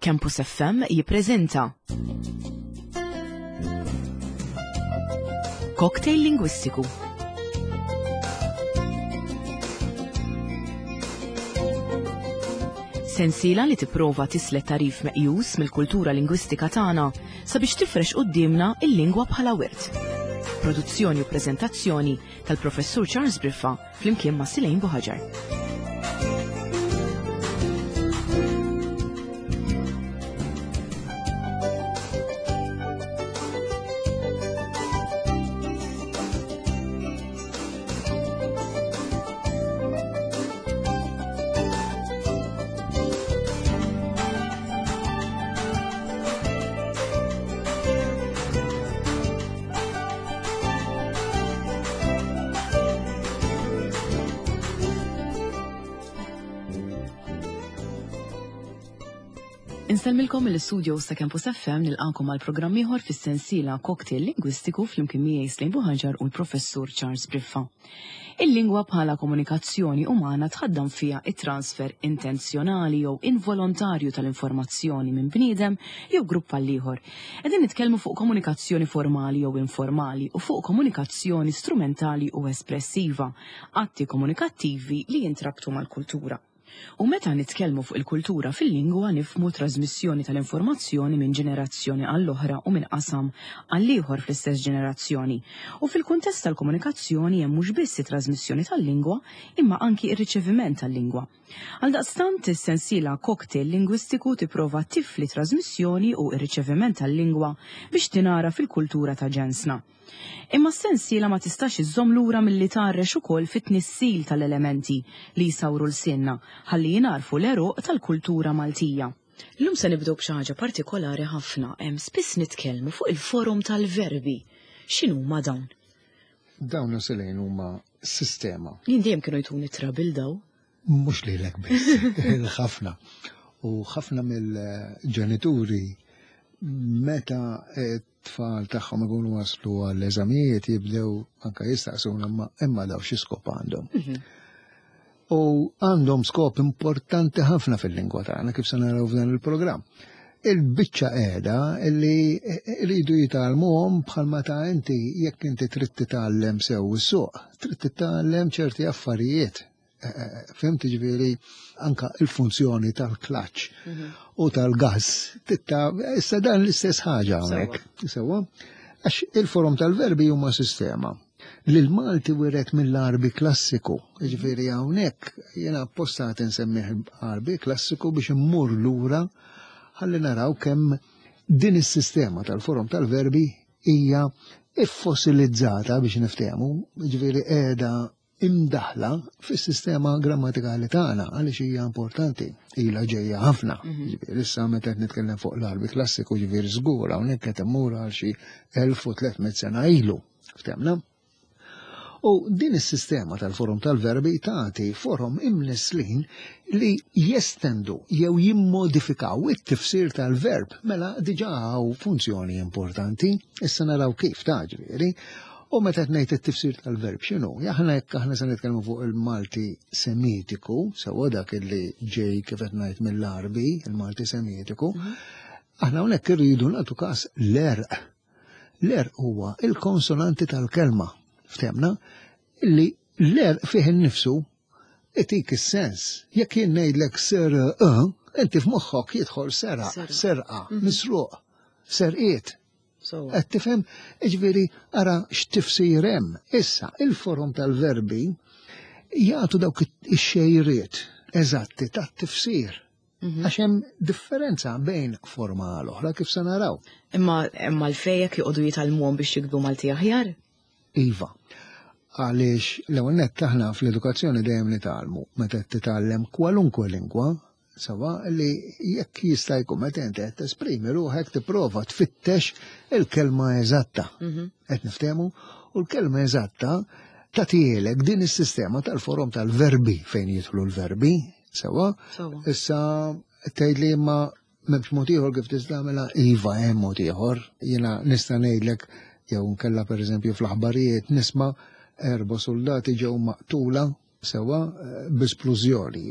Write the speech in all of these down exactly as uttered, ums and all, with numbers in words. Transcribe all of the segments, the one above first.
Campus F M jippreżenta Cocktail Lingwistiku. Sensiela li tipprova tislet tarif meqjus mill-kultura lingwistika tagħna sabiex tifrex quddiemna il-lingwa bħala wirt. Produzzjoni u preżentazzjoni tal-Professur Charles Briffa flimkien ma' Silejn Buħaġar. Insellmilkom mill-istudio ta' Campus F M, nilqakom għal programm ieħor fis-sensiela Cocktail Lingwistiku flimkien miegħi Slejn Buħaġar u l-Professur Charles Briffa. Il-lingwa bħala komunikazzjoni umana tħaddam fiha it-transfer intenzjonali jew involontarju tal-informazzjoni minn bniedem jew grupp għal ieħor. Qegħdin nitkellmu fuq komunikazzjoni formali jew informali u fuq komunikazzjoni strumentali u espressiva, atti komunikattivi li jintrabtu mal-kultura. U meta nitkellmu fuq il-kultura fil-lingwa, nifhmu trasmissjoni tal-informazzjoni minn ġenerazzjoni għall-oħra u minn qasam għall-ieħor fl-istess ġenerazzjoni. U fil-kuntest tal-komunikazzjoni hemm mhux biss it-trasmissjoni tal-lingwa, imma anki ir-riċeviment tal-lingwa. Għaldaqstant, is-sensiela Cocktail Lingwistiku tipprova tifli trasmissjoni u ir-riċeviment tal-lingwa biex tinara fil-kultura ta' ġensna. Imma s-sensiela ma tistax iżżomm lura milli tgħarrex ukoll fit-tnissil tal-elementi li jsawru lsienna ħalli jingħarfu l-għeruq tal-kultura Maltija. Illum se nibdew b'xi ħaġa partikolari ħafna, hemm spiss nitkellmu fuq il-forum tal-verbi. X'inhuma dawn? Dawn, Selejn, huma sistema. Jien dejjem kienu jtuni trouble daw. Mhux lilek biss, ħafna. U ħafna mill-ġenituri, meta tfal tagħhom ikunu waslu għall-eżamijiet, jibdew anka jistaqsuna imma imma daw xi skop għandhom? Mhm. U għandhom skop importanti ħafna fil-lingwa tagħna, kif se naraw f'dan il-programm. Il-biċċa qiegħda li rridu jitgħallmuhom bħalma ta' inti, jekk inti trid titgħallem sew is-suq, trid titgħallem ċerti affarijiet. Eh, eh, Fhimt, ġifieri anka il-funzjoni tal-klaċ u tal-gas. Titta, issa dan l-istess ħaġa hawnhekk. Sewwa? Għax il-forum tal-verbi huma sistema li l-Malti wiret mill-Arbi klassiku. Ġifieri hawnhekk jiena apposta nsemmih Arbi klassiku biex immur lura ħalli naraw kemm din is-sistema tal-forum tal-verbi hija iffossilizzata, biex niftehmu, ġifieri qiegħda imdaħla fis-sistema grammatikali tagħna, għaliex hija importanti, ilha ġejja ħafna. Ġifieri issa meta qed nitkellem fuq l-Arbi klassiku, ġifieri żgur hawnhekk qed immur għal xi elf u tliet mitt sena ilu. Ftehmna? U din is-sistema tal-forum tal-verbi tagħti forum imnislin li jestendu jew jimmodifikaw it-tifsir tal-verb. Mela diġà hawn funzjoni importanti, issa naraw kif ta' ġifieri. U meta qed ngħid it-tifsir tal-verb, x'inhu? Aħna jekk aħna se nitkellmu fuq il-Malti Semitiku, sewwa, dak li ġej, kif qed ngħid, mill-Arbi, il-Malti Semitiku, aħna hawnhekk irridu nagħtu każ l-għerq. L-għerq huwa il-konsonanti tal-kelma, ftehmna, illi l-għerq fih innifsu itik is-sens. Jekk jien ngħidlek ser, inti f'moħħok jidħol sera, Seraq. serqa, misruq, serqiet. So, Qed tifhem? Ġifieri ara x'tifsir hemm. Issa, il-forum tal-verbi jagħtu dawk ix-xejriet eżatti tat-tifsir. Għax hemm differenza bejn forma għal oħra, kif se naraw. Imma imma l-fejjek joqogħdu jitgħallmuhom biex jiktbu Malti aħjar? Iva. Għaliex l-ewwel nett aħna fl-edukazzjoni dejjem nitgħallmu, meta titgħallem kwalunkwe lingwa, sewwa, li jekk jista' jkun meta inti qed tesprimi ruħek tipprova tfittex il-kelma eżatta. Qed niftehmu? U l-kelma eżatta tagħtielek din is-sistema tal-forum tal-verbi fejn jidħlu l-verbi, sewwa? Sewwa. Issa tgħid li imma m'hemmx mod ieħor kif tista' tagħmilha? Iva, hemm mod ieħor. Jiena nista' ngħidlek jew nkella, pereżempju, fl-aħbarijiet nisma' erba' soldati ġew maqtula. sewa b'esplużjoni.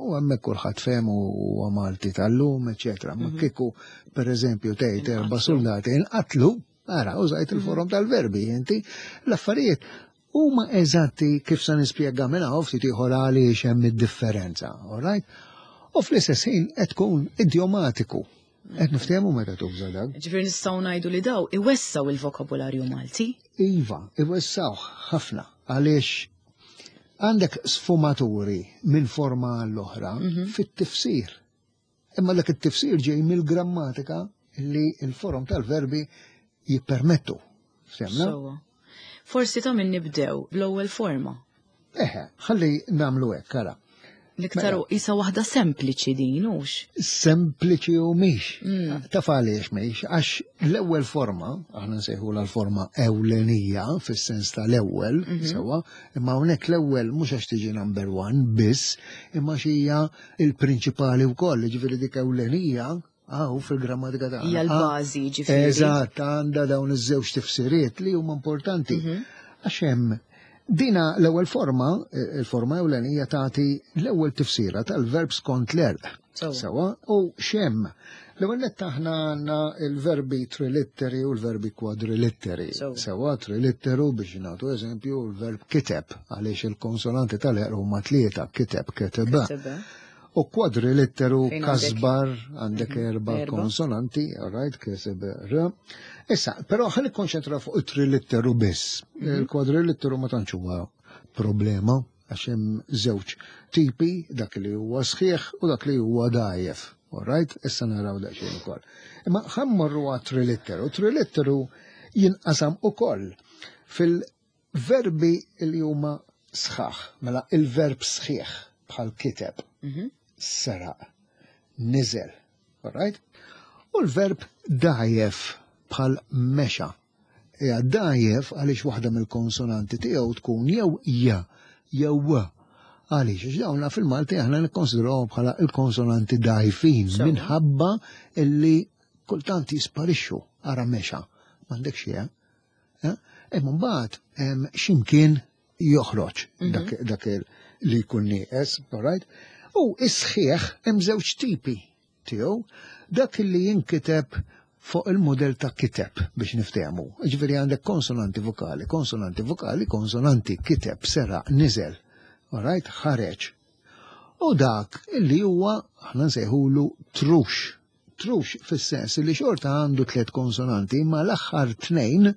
U hemmhekk kulħadd fehem u Malti tal-lum, eċetera. Ma kieku pereżempju tgħid erba' soldati inqatlu, ara, użajt il-forom tal-verbi, inti l-affarijiet huma eżatti kif se nispjega minn hawn ftit ieħor għaliex hemm id-differenza, all right? U fl-istess ħin qed tkun idiomatiku. Qed niftehmu meta tuża dak. Ġifieri nistgħu ngħidu li daw iwessaw il-vokabularju Malti. Iva, iwessaw ħafna għaliex għandek sfumaturi minn forma għall-oħra fit-tifsir. Imma dak it-tifsir ġej mill-grammatika li l-forom tal-verbi jippermettu. Semna? Sewwa. Forsi ta' min nibdew bl-ewwel forma. Eħe, ħalli nagħmlu hekk, ara. L-iktar isa waħda sempliċi din, hux? Sempliċi u mhix. Taf għaliex mhix, għax l-ewwel forma, aħna nsejħu l-forma ewlenija fis-sens tal-ewwel, sewwa, imma hawnhekk l-ewwel mhux għax tiġi number one biss, imma xija il-prinċipali wkoll, ġifieri dik ewlenija għaw fil-grammatika tagħna. Hija l-bażi, ġifieri. Eżatt, għandha dawn iż-żewġ tifsiriet li huma importanti. Għax hemm dina l-ewwel forma, il-forma ewlenija tagħti l-ewwel tifsira tal-verb skont l-għerq. Sewwa. Sewwa, u x'hemm. L-ewwel nett aħna għandna il-verbi trilitteri u l-verbi kwadrilitteri. Sewwa. Sewwa, trilitteru biex nagħtu eżempju l-verb kiteb, għaliex il-konsonanti tal-għerq huma tlieta, kiteb, keteba. Ketebe. U kwadrilitteru Fejn għandek? kasbar, għandek erba Erba. konsonanti, all right, keseb r. Issa, però ħa nikkonċentra fuq it-trilitteru biss. Il-kwadrilitteru ma tantx huwa problema għax hemm żewġ tipi, dak li huwa sħiħ u dak li huwa dgħajjef. All right, issa naraw daqsxejn ukoll. Imma ħa mmorru għat trilitteru. Trilitteru jinqasam ukoll fil-verbi li huma sħaħ, mela il-verb sħiħ bħal kiteb, seraq, niżel, all right? U l-verb dgħajjef bħal mexa. Ija dgħajjef għaliex waħda mill-konsonanti tiegħu tkun jew ja jew w. Għaliex, għax dawna fil-Malti aħna nikkonsidrawhom bħala il-konsonanti dgħajfin Sewwa. minħabba illi kultant jisparixxu ara mexa. M'għandekx xi, eh? Imma mbagħad hemm x'imkien joħroġ dak, dak il- li jkun nieqes, all right? U is-sħiħ hemm żewġ tipi tiegħu, dak li jinkiteb fuq il-modell ta' kiteb biex niftehmu. Ġifieri għandek konsonanti vokali, konsonanti vokali, konsonanti kiteb, seraq, niżel, all right, ħareġ. U dak illi huwa aħna nsejħulu trux. Trux fis-sens li xorta għandu tliet konsonanti, imma l-aħħar tnejn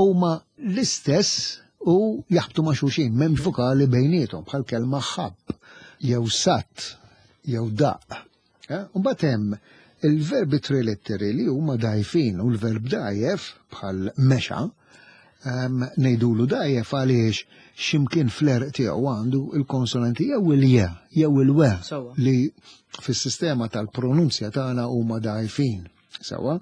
huma l-istess u jaħbtu ma' xulxin, m'hemmx vokali bejniethom bħal kelma ħabb, jew sat, jew daq. Eh? U mbagħad hemm il-verbi trilitteri li huma dgħajfin u l-verb dgħajjef bħal mexa, um, ngħidulu dgħajjef għaliex x'imkien fl-għerq tiegħu għandu il-konsonanti jew il-je jew il-we Sewwa. li fis-sistema tal-pronunzja tagħna huma dgħajfin. Sewwa.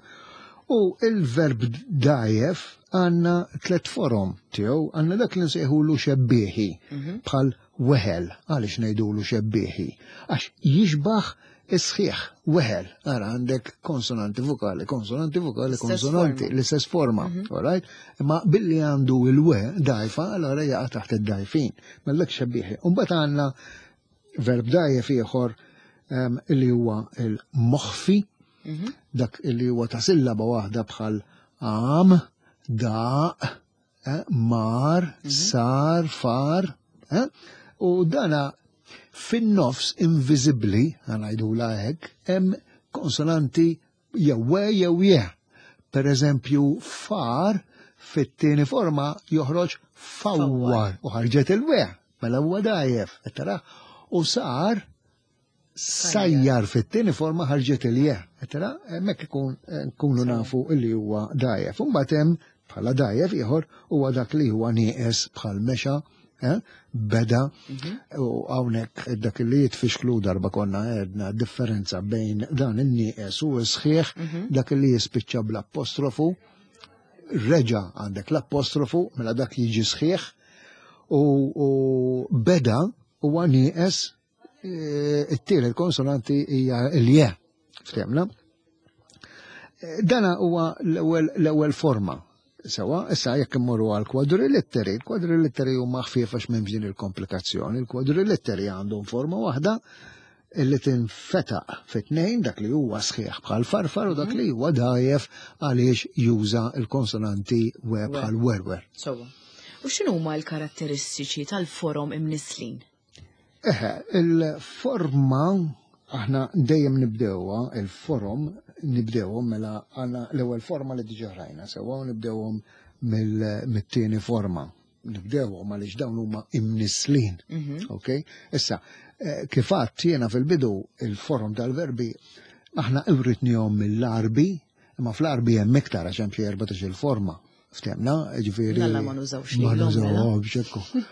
U il-verb dgħajjef għandna tliet forom tiegħu, għandna dak li nsejħulu xebbieħi bħal weħel, għaliex ngħidulu xebbieħi, għax jixbaħ is-sħiħ, weħel, ara għandek konsonanti vokali, konsonanti vokali, L-istess konsonanti, forma. l-istess forma, all right? Imma billi għandu il-we dgħajfa, allora jaqa' taħt id-dgħajfin, mellek xebbieħi. U mbagħad għandna verb dgħajjef ieħor em, li huwa il-moħfi, dak li huwa ta' sillaba waħda bħal għam, daq, eh, mar, sar, far, eh? U dana fin-nofs inviżibbli, ħa ngħidula hekk, hemm konsonanti jew we jew je. Per eżempju, far fit-tieni forma joħroġ fawwar u ħarġet il-we, mela huwa dgħajjef, qed tara? U sar sajjar fit-tieni forma ħarġet il-je, qed tara? Hemmhekk ikun nkunu nafu illi huwa dgħajjef. U mbagħad hemm bħala dgħajjef ieħor huwa dak li huwa nieqes bħal mexa, eh, beda, u hawnhekk dak li jitfixklu darba konna għedna differenza bejn dan in-nieqes u s-sħiħ, dak li jispiċċa bl-apostrofu, reġa għandek l-apostrofu, mela dak jiġi sħiħ, u, u beda huwa nieqes eh, it-tielet konsonanti hija l-je. Ftehmna? Eh, Dana huwa l-ewwel l-ewwel forma. Sewa, issa jekk immorru għal kwadrilitteri, kwadrilitteri huma ħfief għax m'hemmx din il-komplikazzjoni. Il-kwadrilitteri għandhom forma waħda illi tinfetaq fit-tnejn, dak li huwa sħiħ bħal farfar u dak li huwa dajjef għaliex juża il-konsonanti we bħal werwer. Sewa. U x'inhuma l-karatteristiċi tal-forom imnislin? Eħe, il-forma aħna dejjem nibdewha, il-forom nibdewhom mela għandna l-ewwel forma li diġà rajna, sewwa, nibdewhom mill-tieni forma. Nibdewhom għaliex dawn huma imnislin. Ok? Issa, eh, kif għedt jiena fil-bidu, il-forom tal-verbi aħna iwritnihom mill-Għarbi, imma fl-Għarbi hemm iktar għax hemm xi erbatax il-forma. Ftemna, ġifieri. Mela ma nużawx Ma lilhom, mela. nużawhomx, ekku.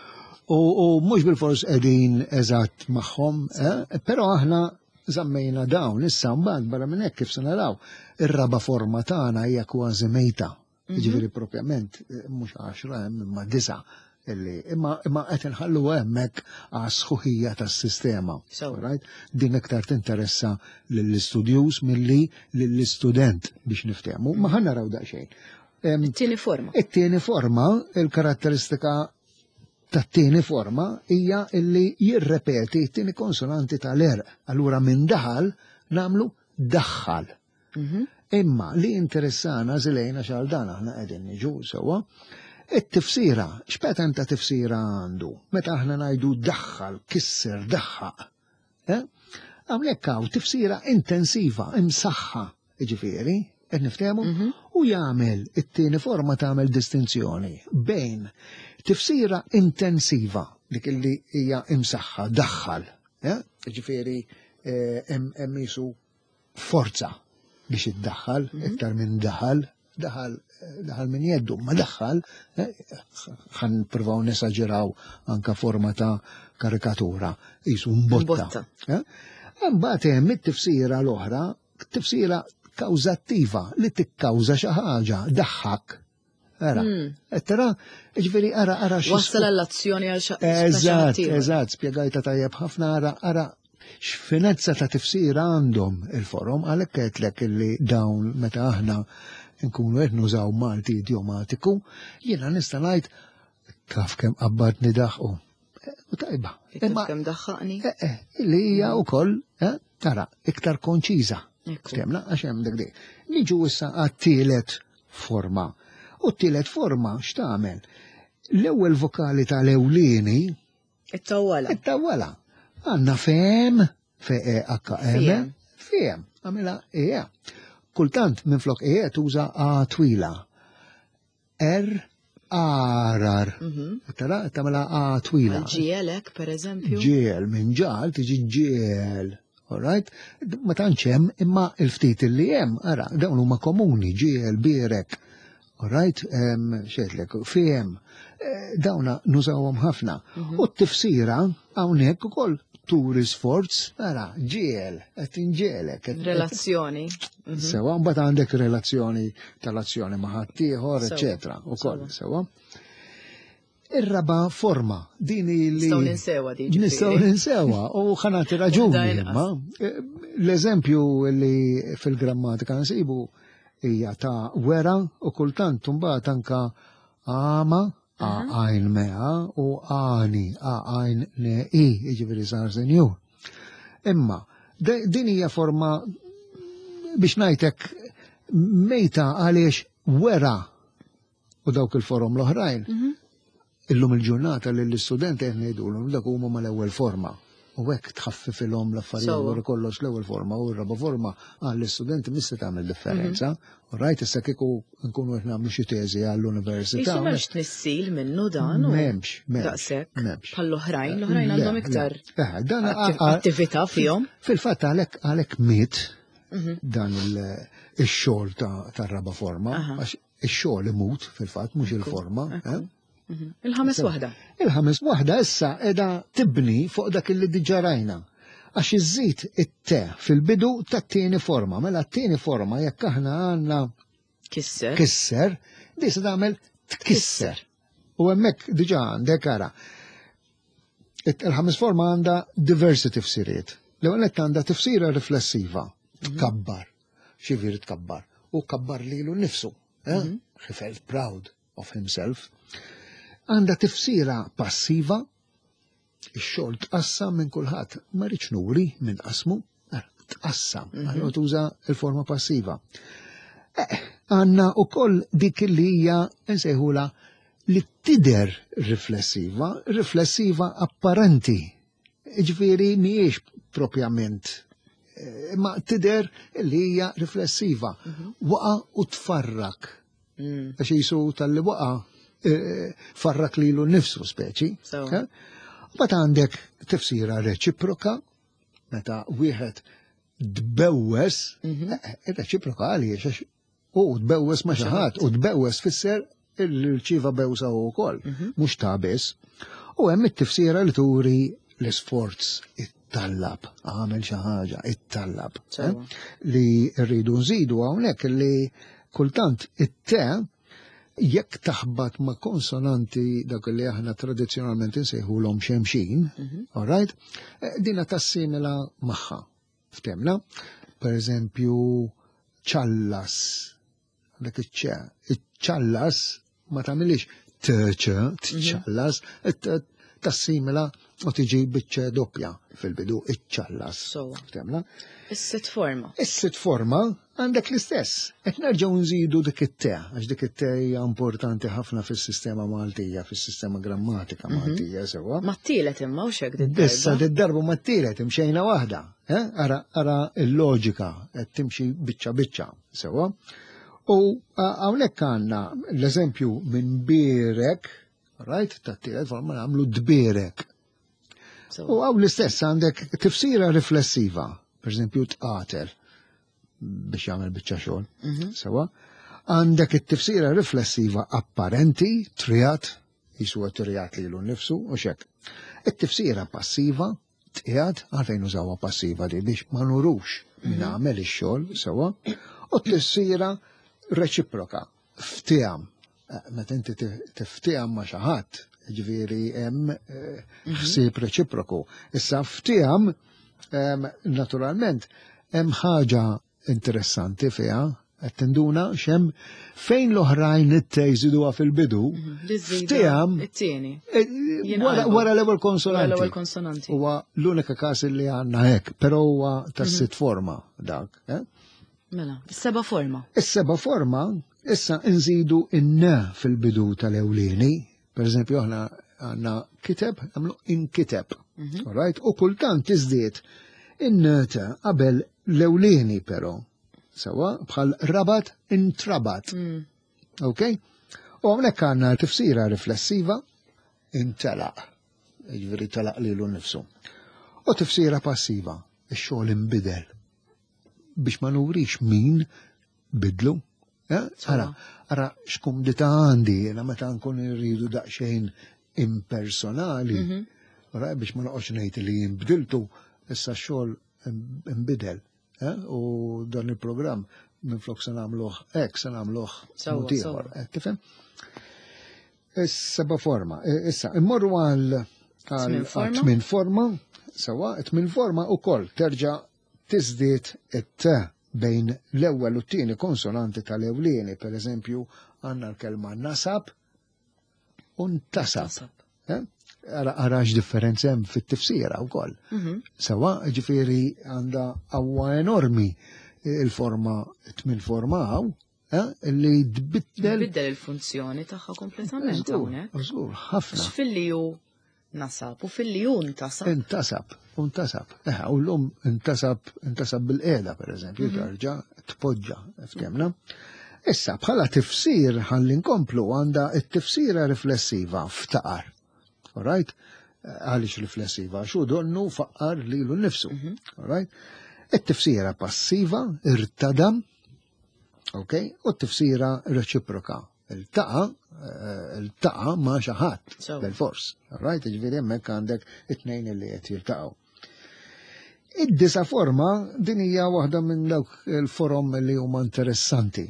U, u mhux bil-fors qegħdin eżatt magħhom, eh? Però aħna żammejna dawn, issa mbagħad barra minn hekk, kif se naraw, ir-raba forma tagħna hija kważi mejta. Ġifieri propjament eh, mhux għaxra hemm imma disa' illi imma imma qed inħallu hemmhekk għas-sħuħija tas-sistema. So. Right? Din iktar tinteressa lill-istudjuż milli lill-istudent biex niftehmu, ma ħa naraw daqsxejn. Em, It-tieni forma. It-tieni forma, il-karatteristika tat-tieni forma hija illi jirrepeti t-tieni konsonanti tal-għerq. Allura minn daħal nagħmlu daħħal. Imma li interessana zilejna xal dan aħna qegħdin niġu sewwa, it-tifsira, x'pattern ta' tifsira għandu? Meta aħna ngħidu daħħal, kisser, daħħaq. Eh? Hawnhekk hawn tifsira intensiva, imsaħħa, ġifieri, qed niftehmu, u jagħmel it-tieni forma tagħmel distinzjoni bejn tifsira intensiva, dik illi hija imsaħħa, daħħal, eh? Ġifieri eh, hemm hemm jisu forza biex iddaħħal, iktar minn daħal, daħal daħal minn jeddu, ma daħħal, eh, ħa nippruvaw nesaġeraw anka forma ta' karikatura, jisu mbotta. Mbotta. Eh? Imbagħad hemm it-tifsira l-oħra, tifsira kawżattiva li tikkawża xi ħaġa, daħħak. Ara, qed tara, ġifieri ara ara xi Wassal għall-azzjoni għal xa- Eżatt, ieħor. eżatt, spjegajta tajjeb ħafna, ara, ara x'finezza ta' tifsira għandhom il-forom, għalhekk għedtlek illi dawn meta aħna nkunu qed nużaw Malti idiomatiku, jiena nista' ngħid taf kemm qabbadni daħqu. Eh, U tajba. Taf kemm daħħaqni. Eh, eh, li hija wkoll, eh, tara, iktar konċiża. Ekku. Ftemna, għax hemm dik dik. Niġu issa għat-tielet forma. U t-tielet forma x'tagħmel? L-ewwel vokali tal-ewlieni It-tawwala. it-tawwala. Għandna fem, F E H M, Fiem. fiem, għamilha E. Kultant minn flok E tuża A twila. R, arar. Tara, tagħmilha A twila. Ġielek, per eżempju. Ġiel, minn ġal tiġi ġiel. All right? Ma tantx hemm imma il-ftit li hemm, ara, dawn huma komuni, ġiel, birek. All right? Xedlek, fiem. Eh, Dawna nużawhom ħafna. U t-tifsira hawnhekk ukoll turi sforz, ara, ġiel, qed inġielek. qed- Relazzjoni. Sewa, mbagħad għandek relazzjoni tal-azzjoni ma' ħaddieħor, Sewa. eċetera, ukoll, sewa. Ir-raba forma, din li Nistgħu ninsewa di, ġifieri. Nistgħu ninsewa u ħa nagħti raġuni Waħda inqas. imma. Eh, L-eżempju li fil-grammatika nsibu hija ta' wera u kultant mbagħad anka għama, a għajn mea u għani, a għajn ne i, jiġifieri sar senjur. Imma de- din hija forma biex ngħidlek mejta għaliex wera u dawk il-forom l-oħrajn. Illum il-ġurnata li l-istudenti qed ngħidulhom dak huma mal-ewwel forma. U hekk tħaffifilhom l-affarijiet Sewwa. wara kollox l-ewwel forma u r-raba forma għall-istudenti mista tagħmel differenza. U rajt issa kieku nkunu qed nagħmlu xi teżi għall-università. Jisu m'hemmx tnissil minnu dan. u M'hemmx, m'hemmx, Daqshekk. m'hemmx. Bħall-oħrajn, l-oħrajn għandhom Le, iktar le. Eh, dan atti- a- a- attività fihom. Fil-fatt għalhekk għalhekk miet dan il- ix-xogħol ta' tar-raba forma, Aha. għax ix-xogħol imut fil-fatt mhux il-forma. eh? Il-ħames waħda. Il-ħames waħda issa edha tibni fuq dak li diġà rajna. Għax iżżid it-te fil-bidu tat-tieni forma. Mela t-tieni forma jekk aħna għandna Kisser. kisser, di se tagħmel tkisser. U hemmhekk diġà għandek ara. It- Il-ħames forma għandha diversi tifsiriet. L-ewwel nett għandha tifsira riflessiva, tkabbar. X'jiġifieri tkabbar? U kabbar lilu nnifsu. Eh? He felt proud of himself. Għandha tifsira passiva, ix-xogħol tqassam minn kulħadd, ma rridx nuri minn qasmu, eh, tqassam, allura tuża il-forma passiva. Eh, Għandna ukoll dik li hija nsejħula li tidher riflessiva, riflessiva apparenti. Ġifieri mhijiex propjament, eh, ma tidher li hija riflessiva. Waqa u tfarrak. Mm. Għax jisu talli waqa eh, farrak lilu nnifsu speċi. So. Eh? Bat għandek tifsira reċiproka, meta wieħed tbewwes, eh, reċiproka għaliex għax u tbewwes ma' xi ħadd u tbewwes fisser il-ċiva bewsa u wkoll, mhux ta' biss. U hemm it-tifsira li turi l-isforz it-tallab, għamel xi ħaġa, it-tallab. eh? Sewwa. Li rridu nżidu hawnhekk li kultant it-te jekk taħbat ma' konsonanti dak li aħna tradizzjonalment insejħulhom xemxin, all right? Eh, Dina tassimila magħha. Ftemna, per eżempju, ċallas, dak iċ-ċe, iċ-ċallas ma tagħmilix t-ċ, tċallas, it- tassimila u tiġi biċ-ċe doppja fil-bidu, iċ-ċallas. Sewwa. Ftemna? Is-sitt forma. Is-sitt forma għandek l-istess. Qed nerġgħu nżidu dik it-te, għax dik it-te hija importanti ħafna fis-sistema Maltija, fis-sistema grammatika Maltija sewwa. Ma t-tielet imma u xek Issa din d-darba ma t-tielet imxejna waħda. eh? Ara, ara il-loġika qed timxi biċċa biċċa sewwa. U a- hawnhekk għandna l-eżempju minn birek, right, tat-tielet forma nagħmlu dbierek. U hawn l-istess għandek tifsira riflessiva, per eżempju tqatel biex jagħmel biċċa xogħol. Sewwa. Għandek it-tifsira riflessiva apparenti, triat, jiswa triat lilu nnifsu u xek. It-tifsira passiva, tqiegħed, għalfejn użawha passiva di biex ma nurux min għamel ix-xogħol, sewwa. U t-tifsira reċiproka, fteham. Eh, Meta inti tiftieham ma' xi ħadd, ġifieri hemm eh, ħsieb reċiproku. Issa fteham, em, naturalment, hemm ħaġa interessanti fiha, qed tinduna x'hemm fejn l-oħrajn it-te jżiduha fil-bidu, fteham It-tieni. eh, wara Jinqalbu. wara l-ewwel Wara konsonanti. l-ewwel konsonanti. Huwa l-unika każ li għandna hekk, però huwa tas-sitt forma dak. Eh? Mela, is-seba' forma. Is-seba' forma issa nżidu in-n fil-bidu tal-ewlieni. Per eżempju, aħna għandna kiteb, nagħmlu inkiteb. All right? U kultant tiżdied in-n ta' qabel l-ewlieni però. Sewwa bħal rabat intrabat. Mm. Ok? U hawnhekk għandna tifsira riflessiva intelaq. Jiġifieri telaq lilu nnifsu. U tifsira passiva, ix-xogħol inbidel. Biex ma nurix min bidlu. Eh? Ara, ara x'kumdità għandi, jiena meta nkun irridu daqsxejn impersonali. Ara, biex ma noqgħodx ngħid li jinbdiltu, issa x-xogħol imbidel. Eh? U dan il-programm minflok se nagħmluh hekk se nagħmluh Sewwa, mod ieħor. sewwa. Eh, Tifhem? Is-seba' forma. Eh, Issa, immorru għal għal Tmien forma. tmien forma, sewwa, tmien forma ukoll terġa' tiżdied it-t bejn l-ewwel u t-tieni konsonanti tal-ewlieni, per eżempju, għandna l-kelma nasab u ntasab. Tasab. Eh? Ara ara x'differenza hemm fit-tifsira wkoll. Mhm. Sewwa, ġifieri għandha qawwa enormi il-forma, tmien forma hawn, eh, li tbiddel. Biddel il-funzjoni tagħha kompletament Żgur, hawnhekk. żgur, ħafna. Għax filli hu nasab u filli hu ntasab. Intasab, intasab. Eh, u l-lum intasab, intasab bil-qeda, per eżempju, tarġa tpoġġa, ftemna. Issa, bħala tifsir ħalli nkomplu għandha it-tifsira riflessiva ftaqar. All right? Għaliex riflessiva? Xu donnu faqqar lilu nnifsu. All right? It-tifsira passiva, irtadam, ok? U t-tifsira reċiproka. Iltaqa, eh, iltaqa ma' xi ħadd Sewwa. bil-fors. All right? Ġifieri hemmhekk għandek it-tnejn li qed jiltaqgħu. Id-disa forma din hija waħda minn dawk il-forom li huma interessanti.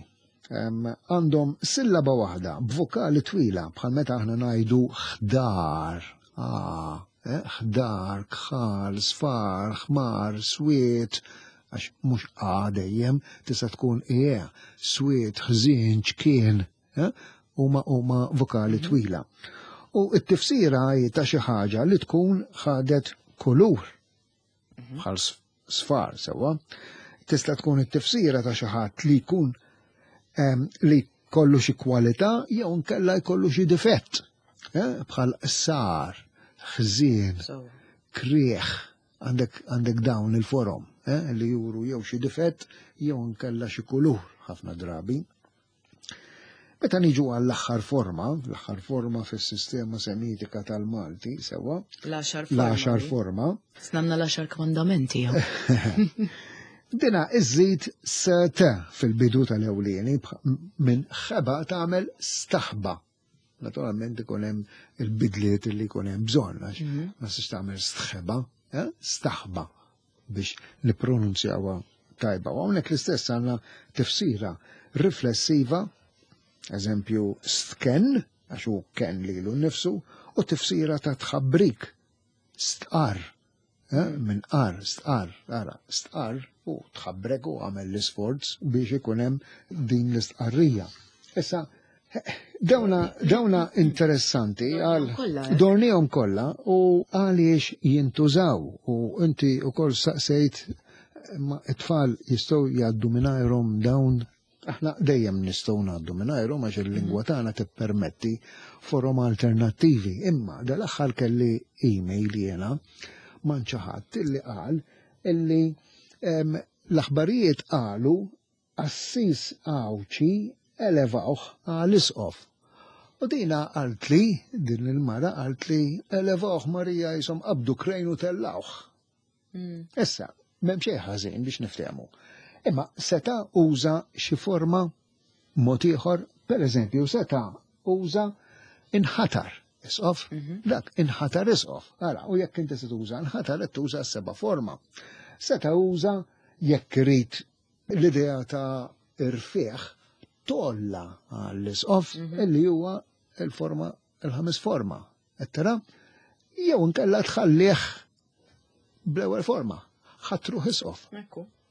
Em, Għandhom sillaba waħda b'vokali twila bħal meta aħna ngħidu ħdar. Ah, eh, ħdar, kħal, sfar, ħmar, swiet, Għax mhux A dejjem, tista' tkun E, swied, ħżien, ċkien, eh? Huma huma vokali twila. U t-tifsira hi ta' xi ħaġa li tkun ħadet kulur, bħal sfar, sewwa. Tista' tkun it-tifsira ta' xi ħadd li jkun li kollu xi kwalità jew nkella jkollu xi difett, eh? Bħal sar, ħżien, krieħ, għandek għandek dawn il-forom eh? Li juru jew xi difett jew nkella xi kulur ħafna drabi. Meta niġu għall-aħħar forma, l-aħħar forma fis-sistema semitika tal-Malti, sewwa. L-għaxar forma. L-għaxar forma. Snamna l-għaxar kmandamenti. Dina iżżid s-t fil-bidu tal-ewlieni, minn ħeba tagħmel staħba. Naturalment ikun hemm il-bidliet li jkun hemm bżonn, għax ma tistax tagħmel stħeba, eh? Staħba biex nippronunzjawha tajba. U hawnhekk l-istess għandna tifsira riflessiva, eżempju stken, għax hu ken lilu nnifsu, u tifsira ta' tħabbrik, stqar, eh? Minn qar, stqar, ara, stqar u tħabbrek u għamel l-isforz biex ikun hemm din l-istqarrija. Issa, dawna, dawna interessanti għal dornihom kollha u għaliex jintużaw, u inti wkoll saqsejt ma t-tfal jistgħu jgħaddu mingħajrhom dawn. Aħna dejjem nistgħu ngħaddu mingħajrhom għax il-lingwa tagħna tippermetti forom alternattivi. Imma dal-aħħar kelli email jiena man xi ħadd illi qal illi l-aħbarijiet qalu qassis Għawdxi elevawh għal isqof. U dina qaltli, din il-mara qaltli, elevawh Marija jisom qabdu krejn u tellawh. Issa, m'hemm xejn ħażin biex niftehmu. Imma seta' uża xi forma mod ieħor, pereżempju seta' uża inħatar isqof, dak inħatar isqof. Ara, u jekk inti se tuża inħatar qed tuża s-seba' forma. Seta' uża jekk irid l-idea ta' irfieħ tolla għall-isqof illi huwa il-forma, il-ħames forma. Qed tara? Jew inkella tħallih bl-ewwel forma, ħatruh isqof.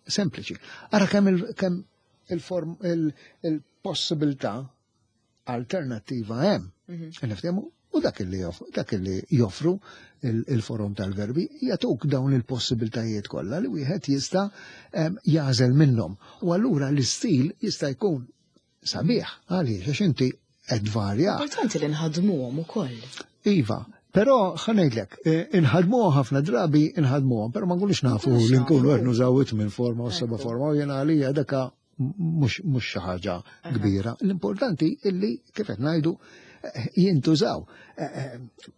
Sempliċi. Ara kemm il-kemm il-form il-possibilità alternattiva hemm. Niftehmu? U dak li dak li joffru il-forom tal-verbi jagħtuk dawn il-possibiltajiet kollha li wieħed jista' jażel minnhom. U allura l-istil jista' jkun sabiħ għaliex għax inti qed varja. Importanti li nħadmuhom ukoll. Iva, però ħa ngħidlek, inħadmuhom ħafna drabi inħadmuhom, però ma nkunux nafu li nkunu qed nużaw it-tmien forma u seba' forma u jiena għalija daka mhux xi ħaġa kbira. L-importanti illi kif qed ngħidu jintużaw.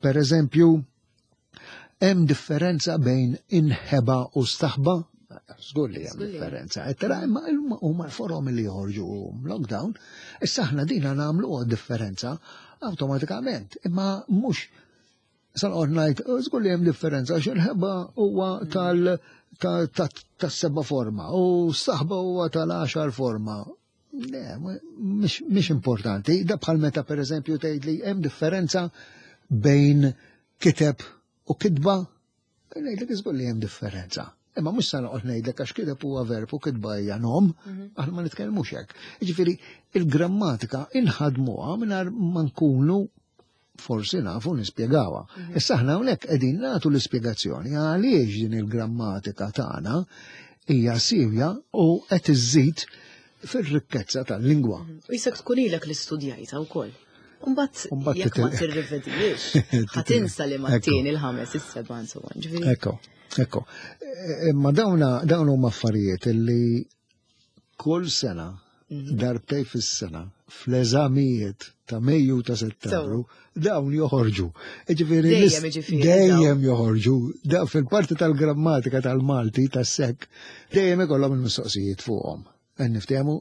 Per eżempju, hemm differenza bejn inħeba u staħba? Żgur li hemm differenza. Tara, imma huma l-forom li joħorġu lockdown, issa aħna dina nagħmlu differenza awtomatikament, imma mhux sa noqgħod ngħid, żgur li hemm differenza għax il-ħeba huwa tal tas-seba' forma u s-saħba huwa tal-għaxar forma. Le, mhix importanti. Da bħal meta pereżempju tgħid li hemm differenza bejn kiteb u kitba, ngħidlek iżgur li hemm differenza. Imma mhux sa noqgħod ngħidlek għax kiteb huwa verb u kitba hija nom, aħna ma nitkellmux hekk. Jiġifieri il-grammatika inħadmuha mingħajr ma nkunu forsi nafu nispjegawha. Issa aħna hawnhekk qegħdin nagħtu l-ispjegazzjoni għaliex din il-grammatika tagħna hija sivja u qed iżżid fir-rikkezza tal-lingwa. U jisek tkun ilek li studjajta wkoll. Mbagħad jekk ma tirrivedijiex, ħa tinsa li mat-tieni, il-ħames, is-seba' insomma. Ekko, ekko. Imma dawna dawn huma affarijiet li kull sena, darbtej fis-sena, fl-eżamijiet ta' Mejju ta' Settembru, dawn joħorġu. Ġifieri dejjem joħorġu. Fil-parti tal-grammatika tal-Malti tas-sekk dejjem ikollhom il-mistoqsijiet fuqhom. Niftehmu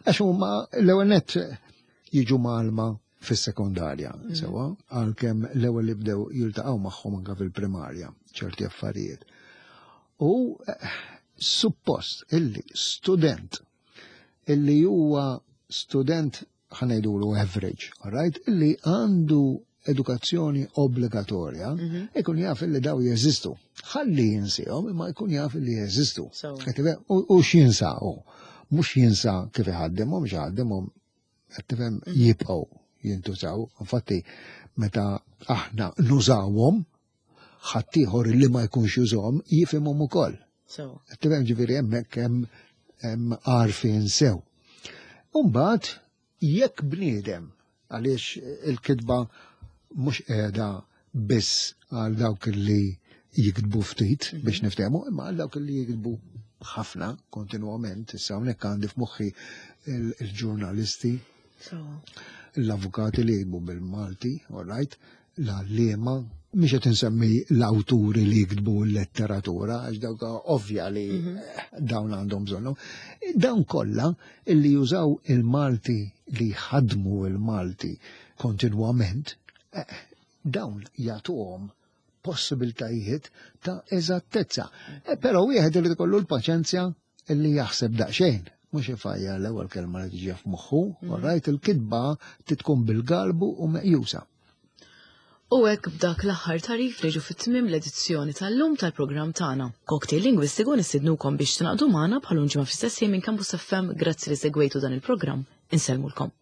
għax huma l-ewwel nett jiġu malma fis-sekondarja, sewwa, għalkemm l-ewwel li bdew jiltaqgħu magħhom anke fil-primarja ċerti affarijiet. U suppost illi student illi huwa student ħa ngħidulu average, all right, illi għandu edukazzjoni obbligatorja, ikun jaf li daw jeżistu. Ħalli jinsihom, imma jkun jaf li jeżistu. So. Qed tifhem? U u x'jinsa hu? Mhux jinsa kif iħaddimhom, x'ħaddimhom, qed tifhem, jibqgħu jintużaw. Infatti, meta aħna nużawhom, ħaddieħor li ma jkunx jużahom jifhimhom ukoll. So. Tifhem, ġifieri hemmhekk hemm hemm għarfien sew. Umbagħad jekk bniedem, għaliex il-kitba mhux qiegħda biss għal dawk li jiktbu ftit biex niftehmu, imma għal dawk li jiktbu ħafna kontinwament. Issa hawnhekk għandi f'moħħi il- il-ġurnalisti, So. l-avukati li jiktbu bil-Malti, all right, l-għalliema, mhix qed insemmi l-awturi li jiktbu l-letteratura, għax dawk ovvja li dawn għandhom bżonnu. Dawn kollha illi jużaw il-Malti, li jħadmu il-Malti kontinwament, eh, dawn jagħtuhom possibiltajiet ta' eżattezza. Eh, Però wieħed irid ikollu l-paċenzja illi jaħseb daqsxejn. Mhux ifajja l-ewwel kelma li tiġi f'moħħu, all right, il-kitba titkun bil-galbu u meqjusa. U hekk b'dak l-aħħar tagħrif niġu fit-tmiem l-edizzjoni tal-lum tal-programm tagħna. Cocktail Lingwistiku. Nistednukom biex tingħaqdu magħna bħal ġimgħa fl-istess ħin minn Campus F M. Grazzi li segwejtu dan il-programm. Insellmulkom.